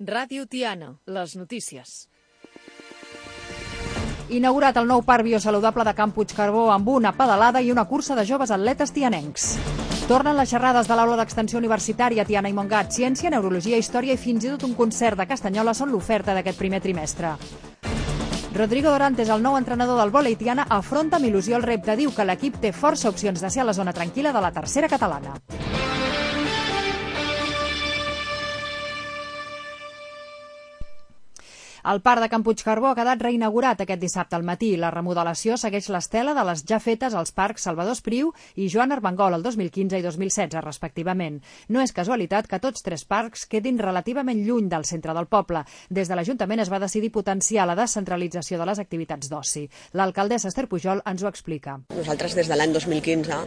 Ràdio Tiana, les notícies. Inaugurat el nou parc biosaludable de Camp Puigcarbó amb una pedalada i una cursa de joves atletes tianencs. Tornen les xerrades de l'Aula d'Extensió Universitària Tiana i Montgat. Ciència, neurologia, història i fins i tot un concert de Castanyola són l'oferta d'aquest primer trimestre. Rodrigo Dorantes, el nou entrenador del vòlei Tiana, afronta amb il·lusió el repte. Diu que l'equip té força opcions de ser a la zona tranquil·la de la tercera catalana. El parc de Camp Puigcarbó ha quedat reinaugurat aquest dissabte al matí. La remodelació segueix l'estela de les ja fetes als parcs Salvador Espriu i Joan Armengol el 2015 i 2016, respectivament. No és casualitat que tots tres parcs quedin relativament lluny del centre del poble. Des de l'Ajuntament es va decidir potenciar la descentralització de les activitats d'oci. L'alcaldessa Esther Pujol ens ho explica. Nosaltres, des de l'any 2015,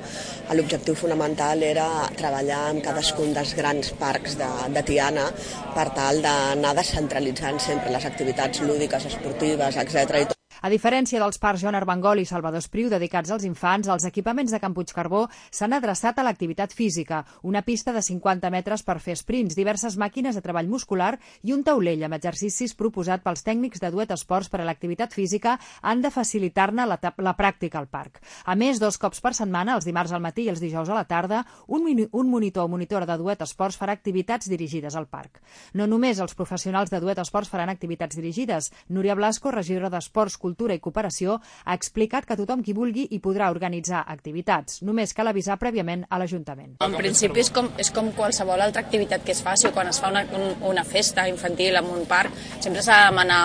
l'objectiu fonamental era treballar amb cadascun dels grans parcs de Tiana per tal d'anar descentralitzant sempre les activitats lúdiques, esportives, etc. A diferència dels parcs Joan Armengol i Salvador Espriu dedicats als infants, els equipaments de Camp Puigcarbó s'han adreçat a l'activitat física, una pista de 50 metres per fer sprints, diverses màquines de treball muscular i un taulell amb exercicis proposat pels tècnics de Duet Esports per a l'activitat física han de facilitar-ne la pràctica al parc. A més, 2 cops per setmana, els dimarts al matí i els dijous a la tarda, un monitor o monitora de Duet Esports farà activitats dirigides al parc. No només els professionals de Duet Esports faran activitats dirigides. Núria Blasco, regidora d'Esports, Cultura i Cooperació, ha explicat que tothom qui vulgui hi podrà organitzar activitats. Només cal avisar prèviament a l'Ajuntament. En principi és com qualsevol altra activitat que es faci, o quan es fa una festa infantil en un parc, sempre s'ha de demanar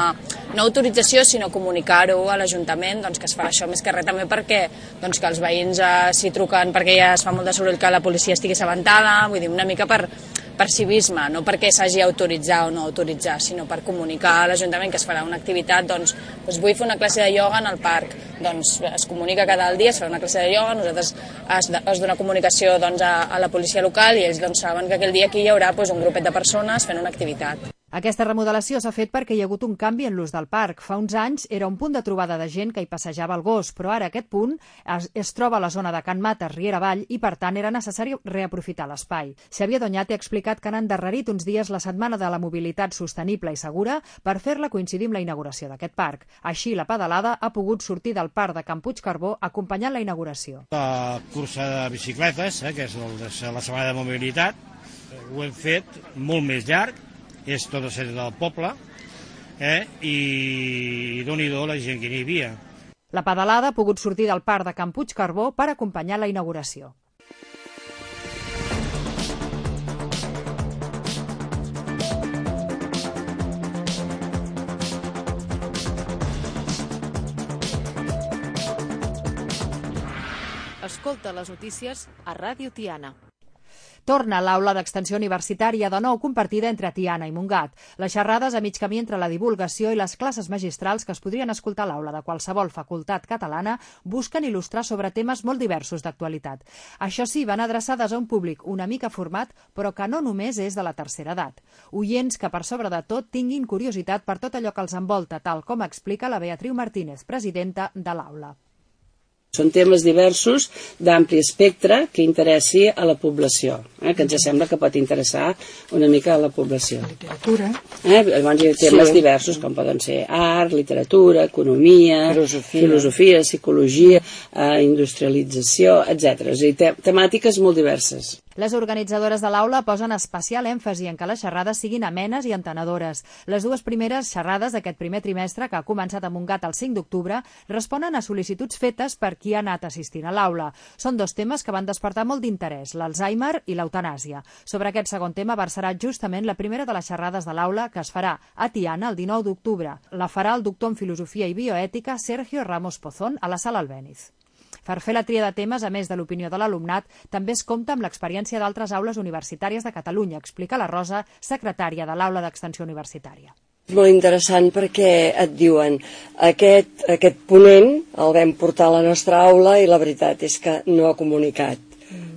no autorització, sinó comunicar-ho a l'Ajuntament, doncs, que es farà això més que res també perquè doncs, que els veïns s'hi truquen perquè ja es fa molt de soroll que la policia estigui assabentada, vull dir, una mica per civisme, no perquè s'hagi autoritzar o no autoritzar, sinó per comunicar a l'Ajuntament que es farà una activitat, doncs vull fer una classe de ioga en el parc, doncs es comunica cada dia, es fa una classe de ioga, nosaltres es dona comunicació doncs, a la policia local i ells doncs, saben que aquell dia aquí hi haurà doncs, un grupet de persones fent una activitat. Aquesta remodelació s'ha fet perquè hi ha hagut un canvi en l'ús del parc. Fa uns anys era un punt de trobada de gent que hi passejava el gos, però ara aquest punt es troba a la zona de Can Mates, Riera Avall, i per tant era necessari reaprofitar l'espai. Xavier Doñate ha explicat que han endarrerit uns dies la setmana de la mobilitat sostenible i segura per fer-la coincidir amb la inauguració d'aquest parc. Així, la pedalada ha pogut sortir del parc de Camp Puigcarbó acompanyant la inauguració. La cursa de bicicletes, que és la setmana de mobilitat, ho hem fet molt més llarg, és tot el centre del poble, i doni-do la gent que n'hi havia. La pedalada ha pogut sortir del parc de Camp Puigcarbó per acompanyar la inauguració. Escolta les notícies a Ràdio Tiana. Torna l'Aula d'Extensió Universitària de nou compartida entre Tiana i Montgat. Les xerrades a mig camí entre la divulgació i les classes magistrals que es podrien escoltar a l'aula de qualsevol facultat catalana busquen il·lustrar sobre temes molt diversos d'actualitat. Això sí, van adreçades a un públic una mica format, però que no només és de la tercera edat. Oients que, per sobre de tot, tinguin curiositat per tot allò que els envolta, tal com explica la Beatriu Martínez, presidenta de l'aula. Són temes diversos d'ampli espectre que interessi a la població, que ens sembla que pot interessar una mica a la població. Literatura. Llavors hi ha temes diversos com poden ser art, literatura, economia, filosofia, psicologia, industrialització, etc. És a dir, temàtiques molt diverses. Les organitzadores de l'aula posen especial èmfasi en que les xerrades siguin amenes i entenedores. Les dues primeres xerrades d'aquest primer trimestre, que ha començat a Montgat el 5 d'octubre, responen a sol·licituds fetes per qui ha anat assistint a l'aula. Són 2 temes que van despertar molt d'interès, l'Alzheimer i l'eutanàsia. Sobre aquest segon tema versarà justament la primera de les xerrades de l'aula, que es farà a Tiana el 19 d'octubre. La farà el doctor en Filosofia i Bioètica Sergio Ramos Pozón a la Sala Albéniz. Per fer la tria de temes, a més de l'opinió de l'alumnat, també es compta amb l'experiència d'altres aules universitàries de Catalunya, explica la Rosa, secretària de l'Aula d'Extensió Universitària. És molt interessant perquè et diuen aquest ponent el vam portar a la nostra aula i la veritat és que no ha comunicat.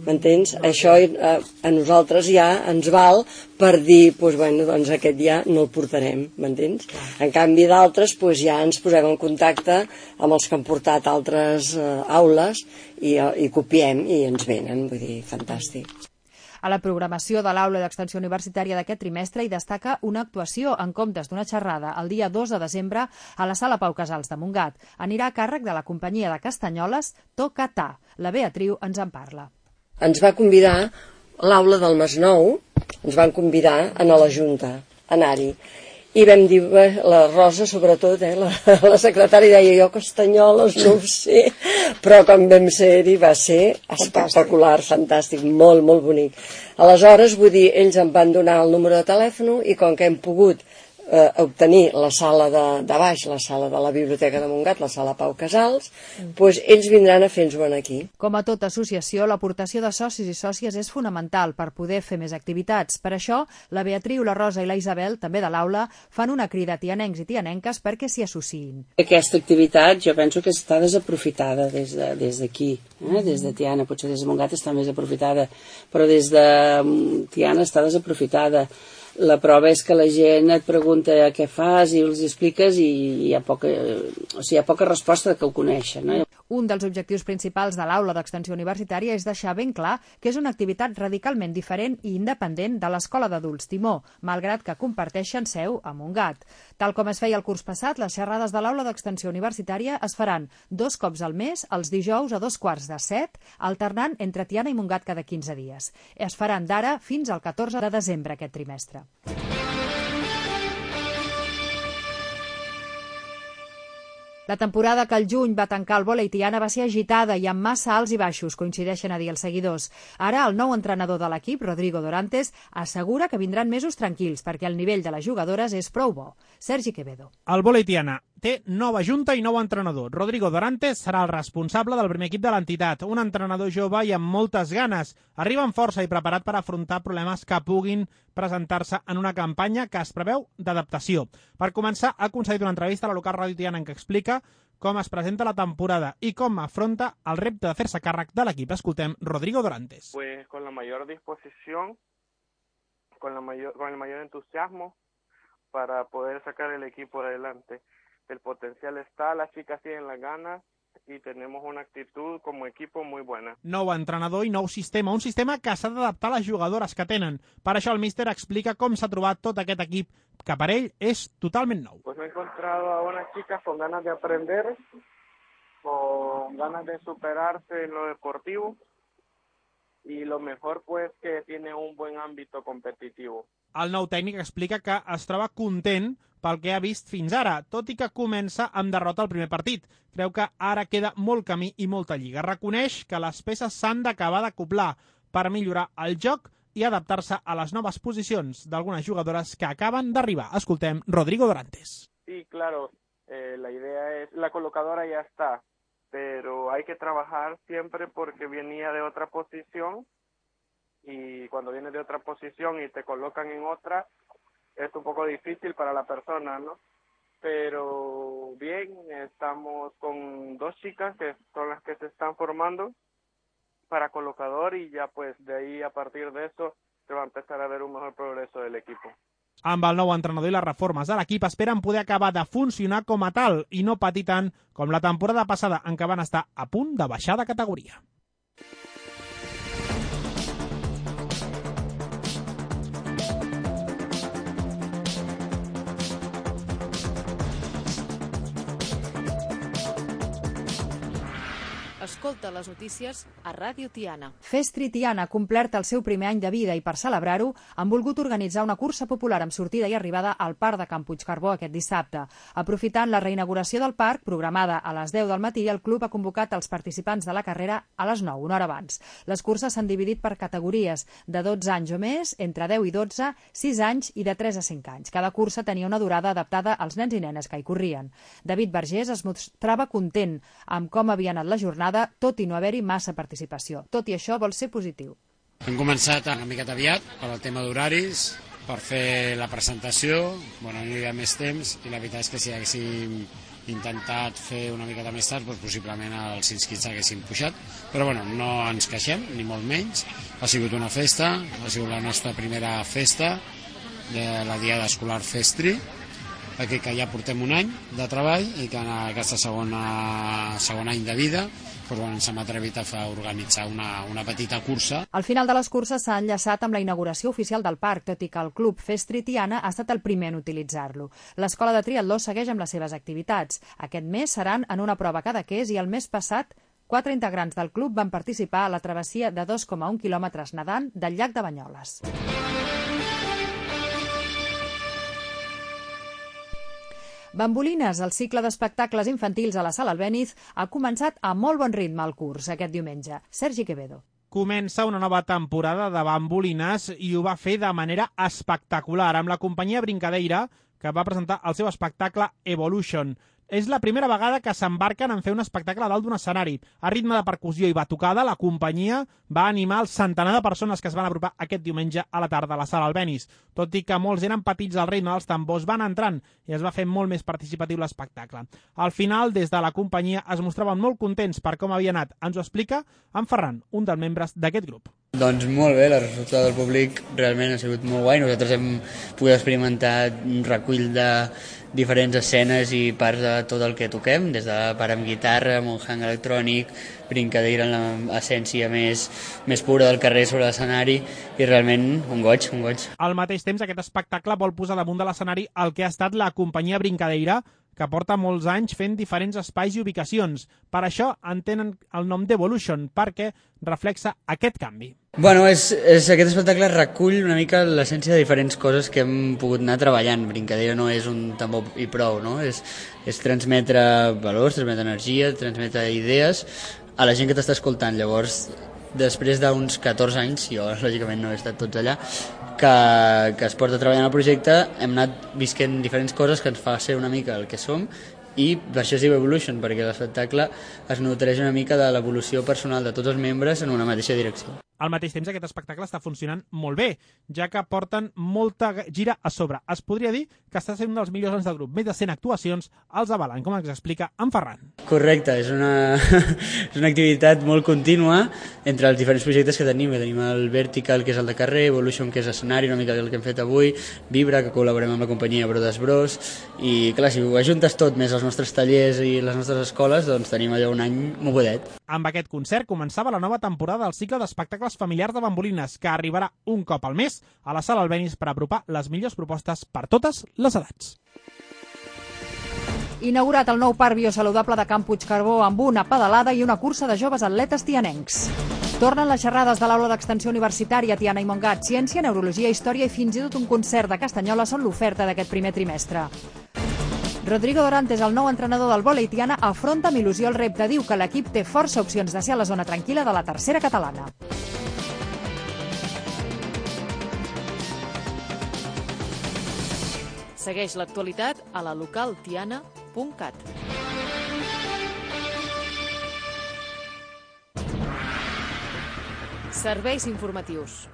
M'entens? Això a nosaltres ja ens val per dir, doncs aquest ja no el portarem, m'entens? En canvi d'altres ja ens posem en contacte amb els que han portat altres aules i copiem i ens venen, vull dir, fantàstic. A la programació de l'aula d'extensió universitària d'aquest trimestre hi destaca una actuació en comptes d'una xerrada el dia 2 de desembre a la Sala Pau Casals de Montgat. Anirà a càrrec de la companyia de Castanyoles Tocatà. La Beatriu ens en parla. Ens va convidar l'aula del Masnou, ens van convidar a la Junta, a anar-hi. I vam dir, la Rosa sobretot, la secretària deia, jo Castanyoles no ho sé, però quan vam ser-hi va ser espectacular, fantàstic, molt, molt bonic. Aleshores, vull dir, ells em van donar el número de telèfon i com que hem pogut obtenir la sala de baix, la sala de la Biblioteca de Montgat, la sala Pau Casals, doncs ells vindran a fer-nos-ho aquí. Com a tota associació, l'aportació de socis i sòcies és fonamental per poder fer més activitats. Per això, la Beatriu, la Rosa i la Isabel, també de l'aula, fan una crida a tianencs i tianenques perquè s'hi associïn. Aquesta activitat jo penso que està desaprofitada des d'aquí, des de Tiana, potser des de Montgat està més aprofitada, però des de Tiana està desaprofitada. La prova és que la gent et pregunta què fas i els expliques i hi ha poca resposta que ho coneixen. Un dels objectius principals de l'aula d'extensió universitària és deixar ben clar que és una activitat radicalment diferent i independent de l'Escola d'Adults Timó, malgrat que comparteixen seu a Montgat. Tal com es feia el curs passat, les xerrades de l'aula d'extensió universitària es faran 2 cops al mes, els dijous a 6:45, alternant entre Tiana i Montgat cada 15 dies. Es faran d'ara fins al 14 de desembre aquest trimestre. La temporada que al juny va tancar el vòlei Tiana va ser agitada i amb massa alts i baixos, coincideixen a dir els seguidors. Ara el nou entrenador de l'equip, Rodrigo Dorantes, assegura que vindran mesos tranquils perquè el nivell de les jugadores és prou bo. Sergi Quevedo. El vòlei Tiana té nova junta i nou entrenador. Rodrigo Dorantes serà el responsable del primer equip de l'entitat, un entrenador jove i amb moltes ganes. Arriba amb força i preparat per afrontar problemes que puguin presentar-se en una campanya que es preveu d'adaptació. Per començar, ha concedit una entrevista a la local Ràdio Tiana en què explica com es presenta la temporada y cómo afronta el repte de fer-se càrrec de l'equip. Escoltem Rodrigo Dorantes. Pues con la mayor disposición, con el mayor entusiasmo para poder sacar el equipo adelante. El potencial está, las chicas tienen las ganas y tenemos una actitud como equipo muy buena. Nou entrenador i nou sistema, un sistema que s'ha d'adaptar a les jugadores que tenen. Per això el míster explica com s'ha trobat tot aquest equip, que per ell és totalment nou. Pues me he encontrado a unas chicas con ganas de aprender, con ganas de superarse en lo deportivo y lo mejor pues que tiene un buen ámbito competitivo. El nou tècnic explica que es troba content pel que ha vist fins ara, tot i que comença amb derrota al primer partit. Creu que ara queda molt camí i molta lliga. Reconeix que les peces s'han d'acabar d'acoblar per millorar el joc i adaptar-se a les noves posicions d'algunes jugadores que acaben d'arribar. Escoltem Rodrigo Dorantes. Sí, claro, la idea es, la colocadora ya está, pero hay que trabajar siempre porque venía de otra posición y cuando vienes de otra posición y te colocan en otra, es un poco difícil para la persona, ¿no? Pero bien, estamos con 2 chicas que son las que se están formando para colocador y ya pues de ahí a partir de eso se va a empezar a ver un mejor progreso del equipo. Amb el nou entrenador i les reformes de l'equip esperen poder acabar de funcionar com a tal i no patir tant com la temporada passada en què van estar a punt de baixar de categoria. Escolta les notícies a Ràdio Tiana. Festri Tiana ha complert el seu primer any de vida i per celebrar-ho han volgut organitzar una cursa popular amb sortida i arribada al Parc de Can Puigcarbó aquest dissabte. Aprofitant la reinauguració del parc, programada a les 10 del matí, el club ha convocat els participants de la carrera a les 9, una hora abans. Les curses s'han dividit per categories de 12 anys o més, entre 10 i 12, 6 anys i de 3 a 5 anys. Cada cursa tenia una durada adaptada als nens i nenes que hi corrien. David Vergés es mostrava content amb com havia anat la jornada, tot i no haver-hi massa participació. Tot i això, vol ser positiu. Hem començat una miqueta aviat per al tema d'horaris, per fer la presentació, no hi havia més temps, i la veritat és que si haguéssim intentat fer una miqueta més tard, doncs possiblement els inscrits haguessin pujat, però no ens queixem, ni molt menys. Ha sigut una festa, ha sigut la nostra primera festa de la Diada Escolar Festri. que ja portem un any de treball i que en aquesta segon any de vida ens hem atrevit a organitzar una petita cursa. Al final de les curses s'ha enllaçat amb la inauguració oficial del parc, tot i que el Club Festri Tiana ha estat el primer en utilitzar-lo. L'escola de triatló segueix amb les seves activitats. Aquest mes seran en una prova cadaqués i el mes passat 4 integrants del club van participar a la travessia de 2,1 quilòmetres nedant del llac de Banyoles. Bambolines, el cicle d'espectacles infantils a la Sala Albéniz, ha començat a molt bon ritme el curs aquest diumenge. Sergi Quevedo. Comença una nova temporada de Bambolines i ho va fer de manera espectacular amb la companyia Brincadeira, que va presentar el seu espectacle Evolution. És la primera vegada que s'embarquen en fer un espectacle a dalt d'un escenari. A ritme de percussió i batucada, la companyia va animar el centenar de persones que es van apropar aquest diumenge a la tarda a la Sala Albéniz. Tot i que molts eren petits al ritme dels tambors, van entrant i es va fer molt més participatiu l'espectacle. Al final, des de la companyia, es mostraven molt contents per com havia anat. Ens ho explica en Ferran, un dels membres d'aquest grup. Doncs molt bé, la resposta del públic realment ha sigut molt guai. Nosaltres hem pogut experimentar un recull de diferents escenes i parts de tot el que toquem, des de part amb guitarra, amb un hang electrònic, Brincadeira en l'essència més pura del carrer sobre l'escenari, i realment un goig. Al mateix temps, aquest espectacle vol posar damunt de l'escenari el que ha estat la companyia Brincadeira, que porta molts anys fent diferents espais i ubicacions. Per això en tenen el nom d'Evolution, perquè reflexa aquest canvi. Bueno, aquest espectacle recull una mica l'essència de diferents coses que hem pogut anar treballant. Brincadeira no és un tambor i prou, no? És transmetre valors, transmetre energia, transmetre idees a la gent que t'està escoltant. Llavors, després d'uns 14 anys, jo lògicament no he estat tots allà, que es porta treballant el projecte, hem anat visquent diferents coses que ens fa ser una mica el que som, i per això es diu Evolution, perquè l'espectacle es nodreix una mica de l'evolució personal de tots els membres en una mateixa direcció. Al mateix temps, aquest espectacle està funcionant molt bé, ja que porten molta gira a sobre. Es podria dir que està sent un dels millors anys del grup. Més de 100 actuacions els avalen, com ens explica en Ferran. Correcte, és una activitat molt contínua entre els diferents projectes que tenim. Tenim el Vertical, que és el de carrer, Evolution, que és escenari, una mica el que hem fet avui, Vibra, que col·laborem amb la companyia Brodes Bros, i clar, si ho ajuntes tot, més els nostres tallers i les nostres escoles, doncs tenim allò un any mogudet. Amb aquest concert començava la nova temporada del cicle d'espectacles familiars de Bambolines, que arribarà un cop al mes a la Sala Albéniz per apropar les millors propostes per totes les edats. Inaugurat el nou parc biosaludable de Camp Puigcardó amb una pedalada i una cursa de joves atletes tianencs. Tornen les xerrades de l'aula d'extensió universitària Tiana i Montgat. Ciència, neurologia, història i fins i tot un concert de Castanyola són l'oferta d'aquest primer trimestre. Rodrigo Dorantes, el nou entrenador del vòlei Tiana, afronta amb il·lusió el repte. Diu que l'equip té força opcions de ser a la zona tranquil·la de la tercera catalana. Segueix l'actualitat a la localtiana.cat. Serveis informatius.